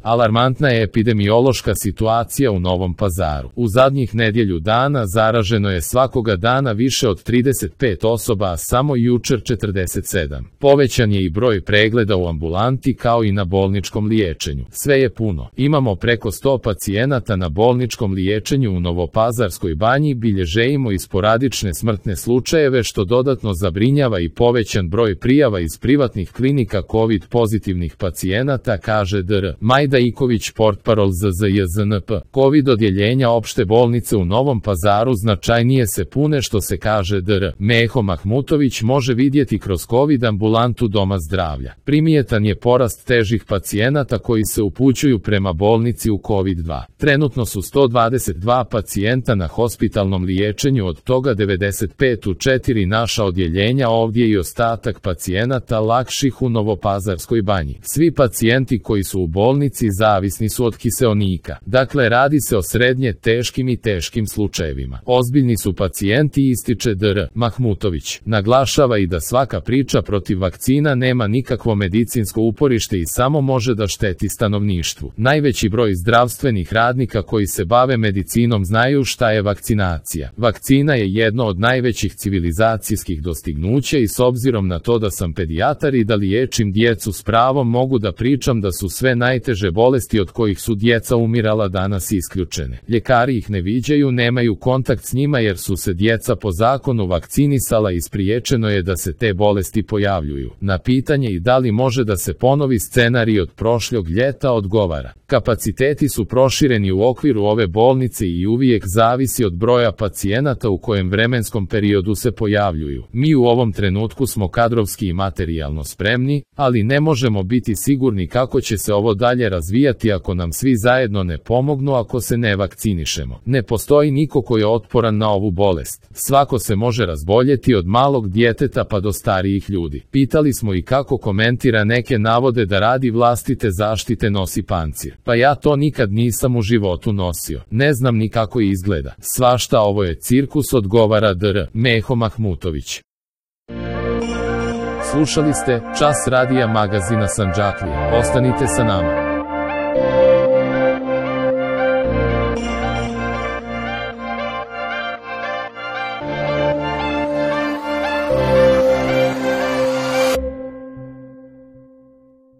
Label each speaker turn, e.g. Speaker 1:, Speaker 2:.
Speaker 1: Alarmantna je epidemiološka situacija u Novom Pazaru. U zadnjih nedjelju dana zaraženo je svakoga dana više od 35 osoba, a samo jučer 47. Povećan je i broj pregleda u ambulanti kao i na bolničkom liječenju. Sve je puno. Imamo preko 100 pacijenata na bolničkom liječenju u Novopazarskoj banji, bilježimo i sporadične smrtne slučajeve što dodatno zabrinjava i povećan broj prijava iz privatnih klinika COVID pozitivnih pacijenata, kaže dr. Majda Iković, portparol ZZJZNP. COVID odjeljenja opšte bolnice u Novom Pazaru značajnije se pune, što se, kaže dr. Meho Mahmutović, može vidjeti kroz COVID ambulantu Doma zdravlja. Primjetan je porast težih pacijenata koji se upućuju prema bolnici u COVID-2. Trenutno su 122 pacijenta na hospitalnom liječenju, od toga 95 u 4 naša odjeljenja ovdje i ostatak pacijenata lakših u Novopazarskoj banji. Svi pacijenti koji su u bolnici zavisni su od kiseonika. Dakle, radi se o srednje teškim i teškim slučajevima. Ozbiljni su pacijenti, ističe dr. Mahmutović. Naglašava i da svaka priča protiv vakcina nema nikakvo medicinsko uporište i samo može da šteti stanovništvu. Najveći broj zdravstvenih radnika koji se bave medicinom znaju šta je vakcinacija. Vakcina je jedno od najvećih civilizacijskih dostignuća i s obzirom na to da sam pedijatar i da liječim djecu, s pravom mogu da pričam da su sve najteže bolesti od kojih su djeca umirala danas isključene. Ljekari ih ne viđaju, nemaju kontakt s njima jer su se djeca po zakonu vakcinisala i spriječeno je da se te bolesti pojavljuju. Na pitanje i da li može da se ponovi scenarij od prošlog ljeta odgovara: kapaciteti su prošireni u okviru ove bolnice i uvijek zavisi od broja pacijenata u kojem vremenskom periodu se pojavljuju. Mi u ovom trenutku smo kadrovski i materijalno spremni, ali ne možemo biti sigurni kako će se ovo dalje razvijati ako nam svi zajedno ne pomognu, ako se ne vakcinišemo. Ne postoji niko ko je otporan na ovu bolest. Svako se može razboljeti, od malog djeteta pa do starijih ljudi. Pitali smo i kako komentira neke navode da radi vlastite zaštite nosi pancir. Pa ja to nikad nisam u životu nosio. Ne znam ni kako izgleda. Svašta, ovo je cirkus, odgovara dr. Meho Mahmutović. Slušali ste Čas radija magazina Sandžaklija. Ostanite sa nama.